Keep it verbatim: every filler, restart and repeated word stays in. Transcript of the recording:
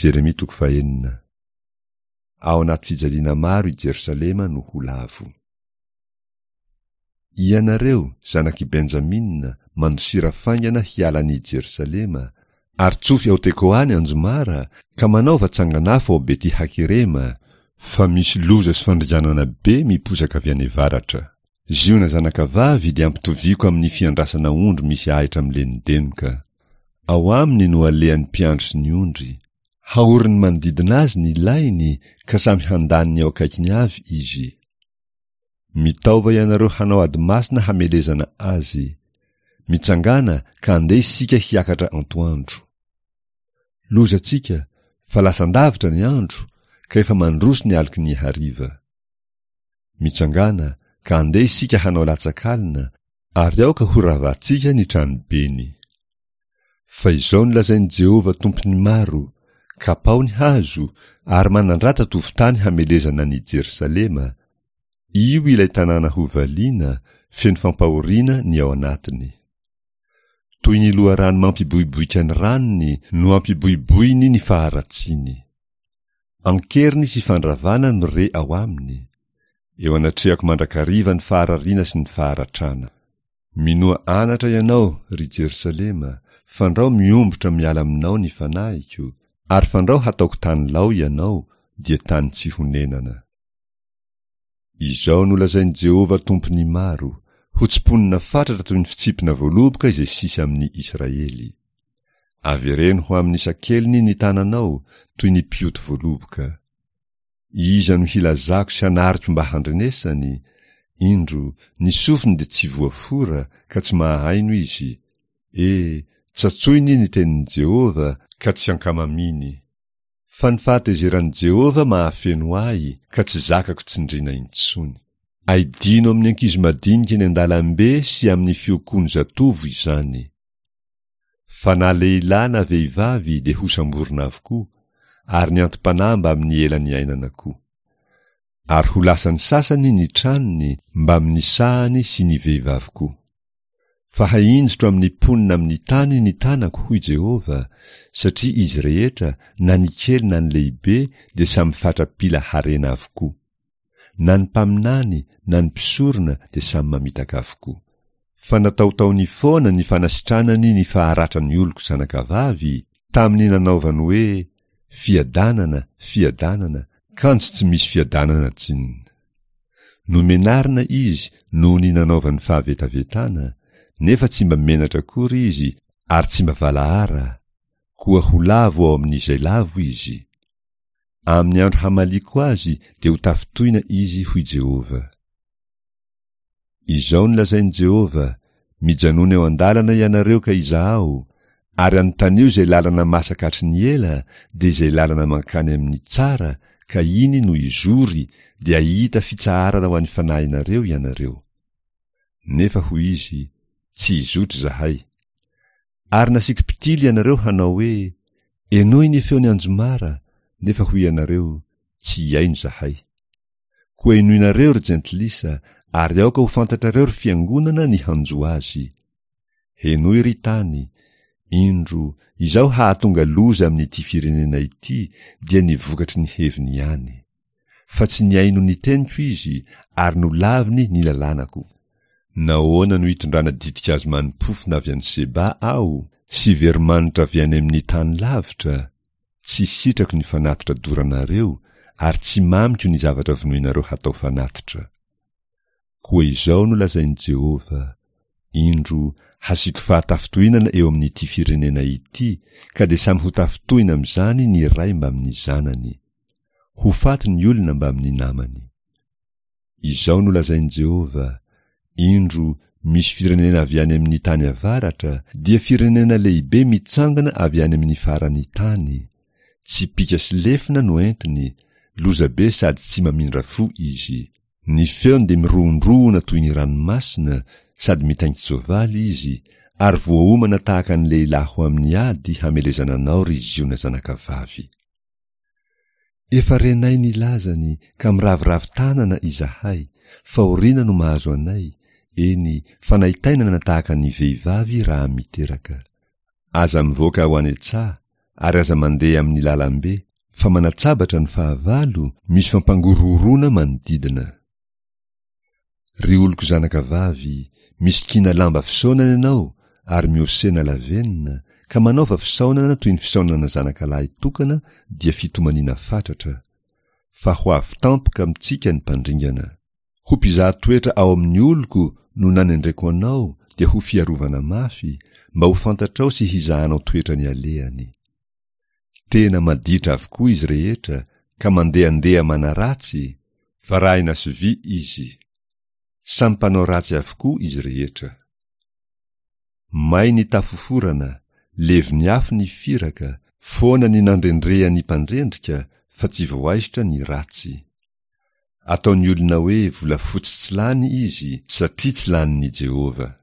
Jeremia toko fahenina. Ao anaty fijaliana maro i Jerosalema no ho lavo. Ianareo, zanak'i Benjamina, mandosira faingana hiala an'i Jerosalema, ary tsofy ao Tekoa ny anjomara, ka manaova tsangan'afo ao Beti-Hakerema, fa misy loza sy fandringanana be miposaka avy any avaratra. Ziona zanakavavy dia ampitoviako amin'ny fiandrasana ondry misy ahitra milenodenoka. Ao aminy no alehan'ny mpiandry sy ny ondry. Haorin'ny manodidina azy ny lainy, ka samy handany ny ao akaikiny avy izy. Mitaova ianareo hanao ady masina hamelezana azy. Mitsangàna ka andeha isika hiakatra antoandro. Lozantsika, fa lasan-davitra ny andro, ka efa mandroso ny aloky ny hariva. Mitsangàna ka andeha isika hanao latsak'alina, ary aoka horavantsika ny tranobeny. Fa izao no lazain'i Jehovah Tompon'ny maro, Kapao ny hazo, ary manandrata tovon-tany hamelezana an'i Jerosalema, io ilay tanàna hovaliana, feno fampahoriana ny ao anatiny. Toy ny loharano mampiboiboika ny ranony no ampiboiboiny ny faharatsiany. An-keriny sy fandravana no re ao aminy. Eo anatrehako mandrakariva ny faharariana sy ny faharatrana. Minoa anatra ianao, ry Jerosalema, fandrao miombotra miala aminao ny fanahiko, ary fandrao hataoko tany lao ianao, dia tany tsy honenana. Izao no lazain'i Jehovah Tompon'ny maro, Ho tsimponina fatratra toy ny fitsipina voaloboka izay sisa amin'ny Israely. Avereno ho amin'ny sakeliny ny tananao, toy ny mpioty voaloboka. Iza no hilazako sy hanariko mba handrenesany? Indro, ny sofiny dia tsy voafora, ka tsy mahahaino izy. E, tsatsoiny ny tenin'i Jehovah, ka tsy ankamaminy. Fa ny fahatezeran'i Jehovah mahafeno ahy, ka tsy zakako tsindriana intsony. Aidino amin'ny ankizy madinika eny an-dalambe sy amin'ny fiokoan'ny zatovo izany. Fa na lehilahy na vehivavy dia hosamborina avokoa, ary ny anti-panahy mbamin'ny ela niainana koa. Ary ho lasan'ny sasany ny tranony mbamin'ny sahany sy ny vehivavy koa. Fa hahinjitro amin'ny mponina amin'ny tany ny tanako, hoy Jehovah, satria izy rehetra, na ny kely na ny lehibe, dia samy fatra-pila harena avokoa. Na ny mpaminany na ny mpisorona dia samy mamitaka avokoa. Fa nataotaony foana ny fanasitranany ny faharatran'ny oloko zanakavavy, tamin'ny nanaovany hoe, Fiadanana, fiadanana, kanjo tsy misy fiadanana tsinona. Nomenarina izy noho ny nanaovany fahavetavetana, nefa tsy mba menatra akory izy ary tsy mba valahara, koa ho lavo ao amin'izay lavo izy. Amin'ny andro hamaliako azy dia ho tafintohina izy, hoy Jehovah. Izao no lazain'i Jehovah, Mijanòna eo an-dalana ianareo ka izahao, ary anontanio izay lalana masaka hatry ny ela, dia izay lalana mankany amin'ny tsara, ka iny no izory, dia hahita fitsaharana ho an'ny fanahinareo ianareo. Nefa hoy izy, Tsy hizotra izahay. Ary nasiako mpitily ianareo hanao hoe, Henoy ny feon'ny anjomara, nefa hoy ianareo, Tsy hihaino izahay. Koa henoinareo, ry jentilisa, ary aoka ho fantatrareo, ry fiangonana, ny hanjo azy. Henoy, ry tany, indro, izaho hahatonga loza amin'ity firenena ity, dia ny vokatry ny heviny ihany. Fa tsy nihaino ny teniko izy, ary nolaviny ny lalànako. Nahoana no itondrana ditin-kazo mani-pofona avy any Seba aho, sy veromanitra avy any amin'ny tany lavitra? Tsy sitrako ny fanatitra doranareo, ary tsy mamiko ny zavatra vonoinareo hatao fanatitra. Koa izao no lazain'i Jehovah, Indro, hasiako fahatafintohinana eo amin'ity firenena ity, ka dia samy ho tafintohina amin'izany ny ray mbamin'ny zanany. Ho faty ny olona mbamin'ny namany. Izao no lazain'i Jehovah, Indro, misy firenena avy any amin'ny tany avaratra, dia firenena lehibe mitsangana avy any amin'ny faran'ny tany. Tsipìka sy lefona no entiny, lozabe sady tsy mamindra fo izy. Ny feony dia mirohondrohona toy ny ranomasina, sady mitaingin-tsoavaly izy, ary voaomana tahaka ny lehilahy ho amin'ny ady hamelezana anao, ry Ziona zanakavavy. Efa renay ny lazany ka miraviravy tanana izahay, fahoriana no mahazo anay, eny, fanaintainana tahaka ny vehivavy raha miteraka. Aza mivoaka ho any an-tsaha, ary aza mandeha amin'ny lalambe, fa manatsabatra ny fahavalo, misy fampangorohoroana manodidina. Ry oloko zanakavavy, misikina lamba fisaonana ianao ary mihosena lavenona, ka manaova fisaonana toy ny fisaonana zanakalahy tokana dia fitomaniana fatratra, fa ho avy tampoka amintsika ny mpandringana. Ho mpizaha toetra ao amin'ny oloko no nanendreko anao dia ho fiarovana mafy, mba ho fantatrao sy hizahanao toetra ny alehany. Tena maditra avokoa izy rehetra ka mandehandeha manaratsy, varahina sy vy izy. Samy mpanao ratsy avokoa izy rehetra. May ny tafoforana, levon'ny afo ny firaka, foana ny nandrendrehan'ny mpandrendrika fa tsy voaisotra ny ratsy. Ataon'ny olona hoe volafotsy tsy lany izy satria tsy lanin'i Jehovah.